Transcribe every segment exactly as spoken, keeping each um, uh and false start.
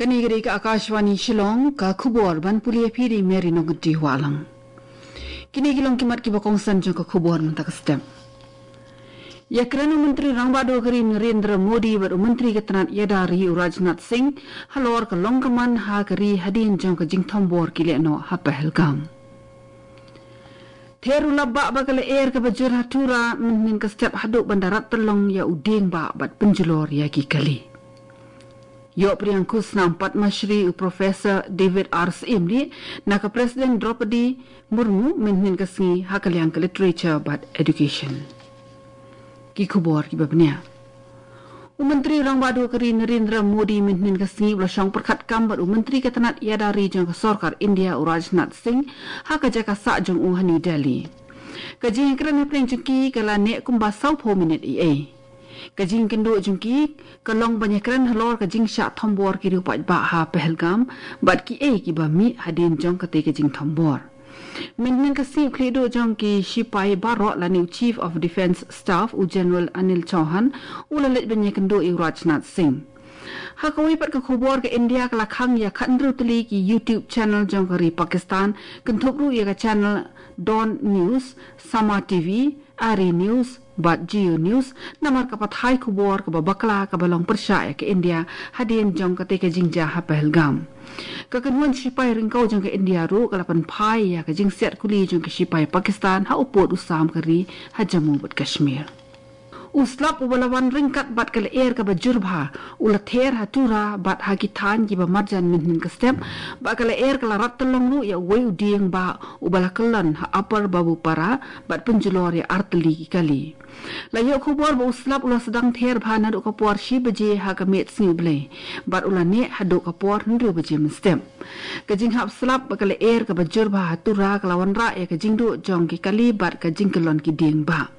Kane ka dei ka Akashvani Shillong, ka khubor ban pule ïa phi da i Mary Nongkynrih Wahlang. Kine ki long ki mat kiba kongsan jong ka khubor mynta ka step. Ïakren u Myntri Rangbah Duh ka ri Narendra Modi bad u Myntri ka tnat ïada ri u Rajnath Singh halor ka long kyrman ha ka ri hadien jong ka jingthombor ki lehnoh ha Pahalgam. Ther u lap bah ba ka lyer kaba jur ha Tura mynhynnin ka step haduh ban da rat tyllong ïa u dieng bah bad pynjulor ïa ki kali. Ïoh pdiang khusnam Padma Shri u Professor David R Syiem na ka President Droupadi Murmu mynhynnin ka sngi ha ka liang ka Literature bad Education. Ki khubor kiba bniah. U Myntri Rangbah Duh ka ri Narendra Modi mynhynnin ka sngi u la shong pyrkhat kam bad u Myntri ka tnat ïada ri jong ka sorkar India u Rajnath Singh ha ka jaka sah jong u ha New Delhi. Ka jingïakren hapdeng jong ki ka la neh kumba sawphew minit eiei. Ka jingkynduh jong ki ka long ban ïakren halor ka jingshah thombor ki riew paidbah ha Pahalgam bad kiei kiba mih hadien jong katei ka jingthombor. Mynhynnin ka sngi u khlieh duh jong ki shipai baroh lane u Chief of Defence Staff u General Anil Chauhan u la leit ban ïakynduh ïa u Rajnath Singh. Ha kawei pat ka khubor, ka India ka la khang ïa khathynriew tylli ki YouTube channel jong ka ri Pakistan, kynthup ruh ïa ka channel Dawn News, Sama T V, Ari News bad Jio News namar ka pathai khubor kaba bakla kaba long pyrshah ïa ka India hadien jong katei ka jingjia ha Pahalgam. Ka kynhun shipai ryngkew jong ka India ruh ka la pynphai ïa ka jingsiat kuli jong ka shipai Pakistan ha u pud u sam ka ri ha Jammu bad Kashmir. U slap uba la wan ryngkat bad ka lyer kaba jur bha u la ther ha Tura bad ha ki thaiñ kiba marjan mynhynnin ka step, bad ka lyer ka la rat tyllong ruh ïa uwei u dieng bah uba la kyllon ha Upper Babupara bad pynjulor ïa ar tylli ki kali. La ïoh khubor ba u slap u la sdang ther bha naduh ka por shi baje ha ka miet sngi U Blei bad u la neh haduh ka por hynriew baje mynstep. Ka jinghap slap bad ka lyer kaba jur bha ha Tura ka la wanrah ïa ka jingduh jong ki kali bad ka jingkyllon ki dieng bah.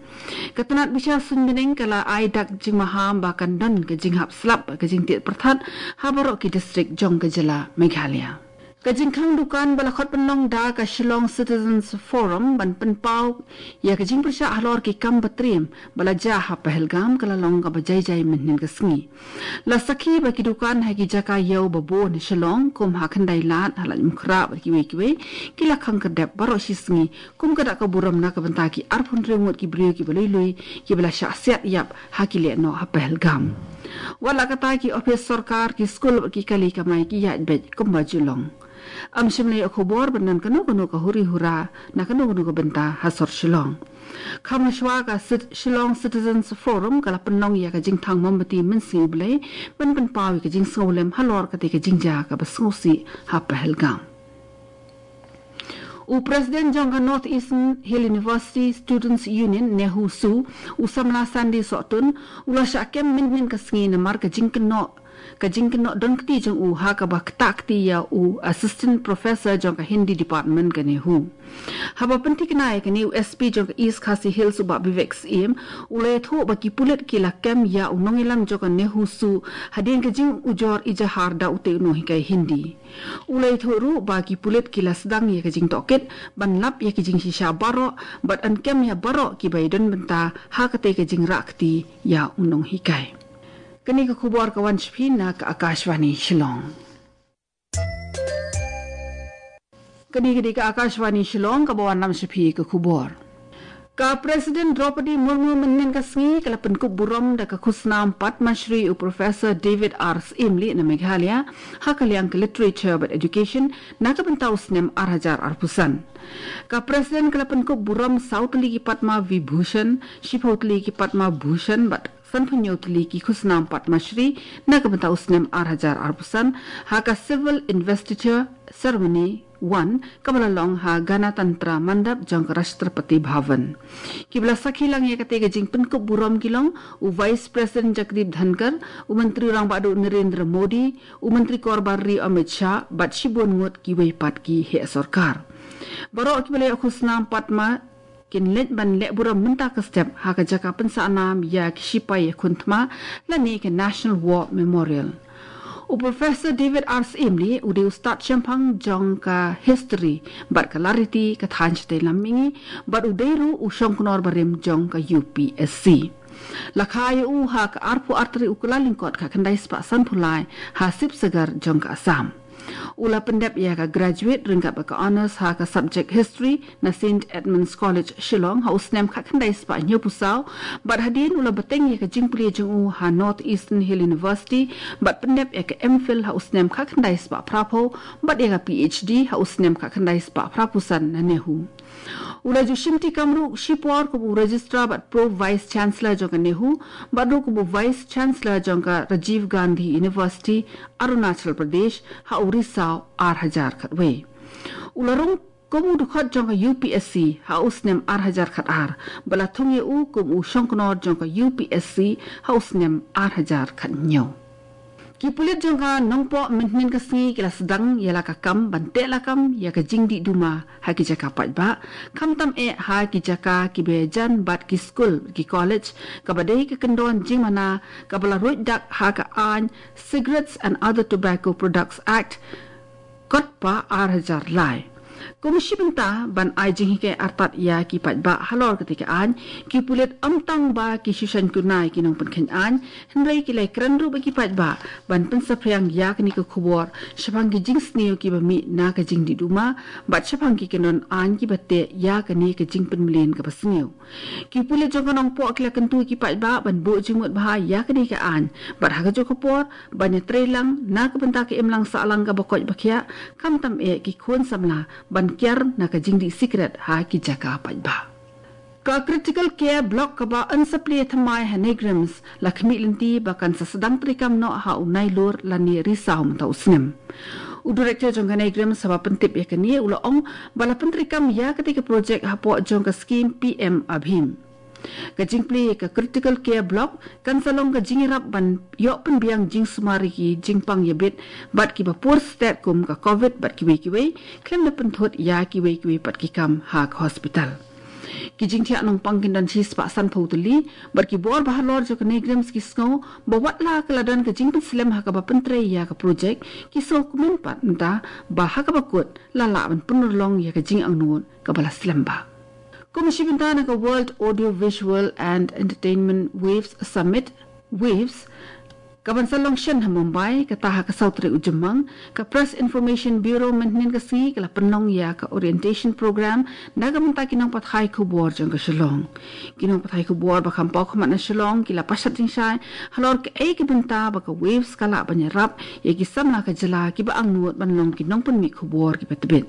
Ka tnat bishar suiñ bneng ka la ai dak jingmaham ba kan don ka jinghap slap bad ka jingtied pyrthat ha baroh ki distrik jong ka jylla Meghalaya. Ka jingkhang dukan ba la khot pynlong da ka Shillong Citizens Forum ban pynpaw ïa ka jingpyrshah halor ki kam ba triem ba la jia ha Pahalgam ka la long kaba jai jai mynhynnin ka sngi. La sakhi ba ki dukan ha ki jaka ïew ba bun ha Shillong kum ha Khyndai Lad, ha Laitumkhrah bad kiwei kiwei ki la khang khyrdep baroh shi sngi kum ka dak ka burom na ka bynta ki arphew hynriew ngut ki briew kiba lui lui kiba la shah siat ïap ha ki lehnoh ha Pahalgam. Wat la katta, ki ophis sorkar, ki skul bad ki kali kamai ki ïaid beit kumba ju long. Ym shym la ïoh khubor ba don kano kano ka huri hura na kano kano ka bynta ha sor Shillong. Kham hashwa, ka Cit-, Shillong Citizens Forum ka la pynlong ïa ka jingthang mombati mynsngi U Blei ban pynpaw ïa ka jingsngewlem halor katei ka jingjia kaba sngewsih ha Pahalgam. U President jong ka North Eastern Hill University Students Union, NEHUSU, u samla Sandy Sohtun, u la shah kem mynhynnin ka sngi namar ka jingkynnoh, ka jingkynnoh don kti jong u ha kaba ktah kti ïa u Assistant Professor jong ka Hindi Department ka NEHU. Haba pynthikna ïa kane, u S P jong ka East Khasi Hills u Bah Vivek Syiem u la ïathuh ba ki pulit ki la kem ïa u nongïalam jong ka NEHUSU hadien ka jingujor ijahar da utei u nonghikai Hindi. U la ïathuh ruh ba ki pulit ki la sdang ïa ka jingtohkit ban lap ïa ki jingshisha baroh bad yn kem ïa baroh kiba ïadon bynta ha katei ka jingrah kti ïa u nonghikai. Kane ka khubor ka wan sha phi na ka Akashvani Shillong. Kane ka dei ka Akashvani Shillong kaba wanlam sha phi ka khubor. Ka President Droupadi Murmu mynhynnin ka sngi ka la pynkup burom da ka khusnam Padma Shri u Professor David R Syiem na Meghalaya ha ka liang ka Literature bad Education na ka bynta u snem ar hajar arphew san. Ka President ka la pynkup burom saw tylli ki Padma Vibhushan, shiphew tylli ki Padma Bhushan bad sanphew hynñiew tylli ki khusnam Padma Shri na ka bynta u snem ar hajar arphew san ha ka Civil Investiture Ceremony One kaba la long ha Ganatantra Mandap jong ka Rashtrapati Bhavan. Kiba la sakhi lang ïa katei ka jingpynkup burom ki long u Vice President Jagdeep Dhankhar, u Myntri Rangbah Duh Narendra Modi, u Myntri Korbar Ri Amit Shah bad shibun ngut kiwei pat ki heh sorkar. Baroh kiba la ïoh khusnam Padma kin leit ban leh burom mynta ka step ha ka jaka pynsah nam ïa ki shipai ïakhun thma lane ka National War Memorial. U Professor David R Syiem u dei u stad shemphang jong ka history bad ka lariti ka thaiñ shatei lam mihngi bad u dei ruh u shongknor barim jong ka U P S C. La kha ïa u ha ka arphew artylli u Kyllalyngkot khatkhyndai spah sanphew lai ha Sibsagar jong ka Assam. U la pyndep ïa ka graduate ryngkat bad ka honours ha ka subject history na St Edmund's College Shillong ha u snem khatkhyndai spah hynñiewphew saw, bad hadien u la bteng ïa ka jingpule jong u ha North Eastern Hill University, bad pyndep ïa ka M.Phil ha u snem khatkhyndai spah phraphew, bad ïa ka Ph.D ha u snem khatkhyndai spah phraphew san na NEHU. U la ju shimti kam ruh shipor kum u Registrar bad Pro Vice Chancellor jong ka NEHU, bad ruh kum u Vice Chancellor jong ka Rajiv Gandhi University, Arunachal Pradesh, ha u Risaw ar hajar khatwei. U la rung kum u dkhot jong ka U P S C ha u snem ar hajar khatar, bad la thung ïa u kum u shongknor jong ka U P S C ha u snem ar hajar khathynñiew. Ki pulit jong ka Nongpoh mynhynnin ka sngi ki la sdang ïa la ka kam ban teh lakam ïa ka jingdih duma ha ki jaka paidbah, khamtam eh ha ki jaka kiba jan bad ki skul, ki college, kaba dei ka kyndon jingmana kaba la ruid dak ha ka aiñ Cigarettes and Other Tobacco Products Act, KOTPA ar hajar lai. Kum shi bynta ban ai jinghikai artat ïa ki paidbah halor kata ka aiñ, ki pulit ym tang ba ki shu shongknor ïa ki nongpynkheiñ aiñ, hynrei ki la ïakren ruh bad ki paidbah ban pynsaphriang ïa kane ka khubor shaphang ki jingsniew kiba mih na ka jingdih duma, bad shaphang ki kyndon aiñ kiba teh ïa kane ka jingpynmlien kaba sniew. Ki pulit jong ka Nongpoh ki la kyntu ïa ki paidbah ban buh jingmut bha ïa kane ka aiñ, bad ha kajuh ka por ban ïatreilang na ka bynta ka imlang sahlang kaba koit ba khiah, khamtam eh ki khun samla ban kiar na ka jingdih sikret ha ki jaka paidbah. Ka Critical Care Block kaba yn sa plie thymmai ha NEIGRIHMS la khmih lynti ba kan sa sdang treikam noh ha u Nailur lane Risaw mynta u snem. U Director jong ka NEIGRIHMS haba pyntip ïa kane u la ong ba la pyntreikam ïa kata ka projek hapoh jong ka skhim P M ABHIM. Ka jingplie ïa ka Critical Care Block kan sa long ka jingïarap ban ïoh pynbiang jingsumar ïa ki jingpang ïabit bad kiba pur stet kum ka Covid bad kiwei kiwei, khlem da pynthut ïa kiwei kiwei pat ki kam ha ka hospital. Ki jingthiah nongpang kin don shispah sanphew tylli, bad ki bor ba halor jong ka NEIGRIHMS ki sngew ba wat la ka la don ka jingpynslem ha kaba pyntrei ïa ka projek, ki sngewkmen pat mynta ba ha kaba kut la lah ban pynurlong ïa ka jingangnud kaba la slem bha. Kum shi bynta na ka World Audio Visual and Entertainment Waves Summit, WAVES, kaban sa long shen ha Mumbai, kata ha ka saw tarik u Jymmang, ka Press Information Bureau mynhynnin ka sngi ka la pynlong ïa ka orientation program na ka bynta ki nongpathai khubor jong ka Shillong. Ki nongpathai khubor ba kham paw khmat na Shillong ki la pashat jingshai halor kaei ka bynta ba ka WAVES ka lah ban ïarap ïa ki samla ka jylla kiba angnud ban long ki nongpynmih khubor kiba tbit.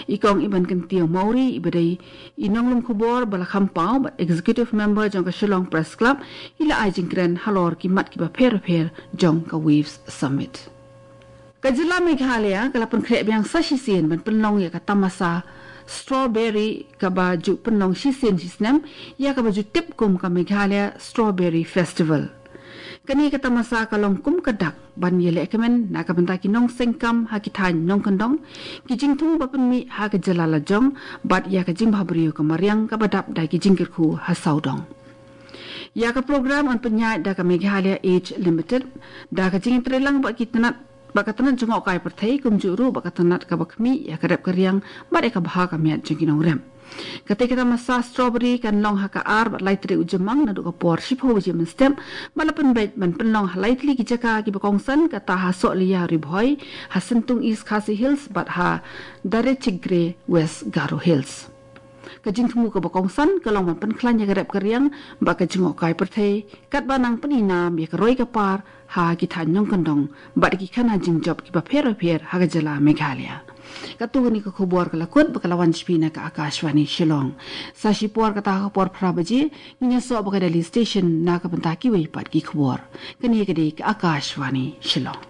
I Kong Ibankyntiew Mawrie, iba dei i nonglum khubor ba la kham paw bad Executive Member jong ka Shillong Press Club, i la ai jingkren halor ki mat kiba pher bapher jong ka WAVES Summit. Ka jylla Meghalaya ka la pynkhreh biang sa shisien ban pynlong ïa ka tamasa strawberry kaba ju pynlong shisien shisnem, ïa kaba ju tip kum ka Meghalaya Strawberry Festival. Kane ka tamasa ka long kum ka dak ban ïalehkmen na ka bynta ki nongseng kam ha ki thaiñ nongkyndong, ki jingthmu ba pynmih ha ka jylla lajong, bad ïa ka jingbhabriew ka mariang kaba dap da ki jingkyrkhu ha sawdong. Ïa ka program yn pynïaid da ka Meghalaya Age Limited, da ka jingïatreilang bad ki tnat, bad ka tnat jngohkai pyrthei, kumjuh ruh bad ka tnat kaba khmih ïa ka rep ka riang bad ïa ka bha ka miat jong ki nongrep. Kata ka tamasa strawberry kan long ha ka ar bad lai tarik u Jymmang naduh ka por shiphew baje mynstep, bad la pynbeit ban pynlong ha lai tylli ki jaka kiba kongsan, kata ha Sohliya Ri Bhoi, ha Syntung East Khasi Hills bad ha Darechikgre West Garo Hills. Ka jingthmu kaba kongsan ka long ban pynkhlaiñ ïa ka rep ka riang bad ka jngohkai pyrthei, katba nang pyni nam ïa ka roi ka par ha ki thaiñ nongkyndong bad ki khana jingjop kiba pher bapher ha ka jylla Meghalaya. Katto katne ka khubor ka la kut bad ka la wan sha phi na ka Akashvani Shillong. Sa shipor kata ha ka por phra baje ngin ïasoh bad ka Delhi Station na ka bynta kiwei pat ki khubor. Kane ka dei ka Akashvani Shillong.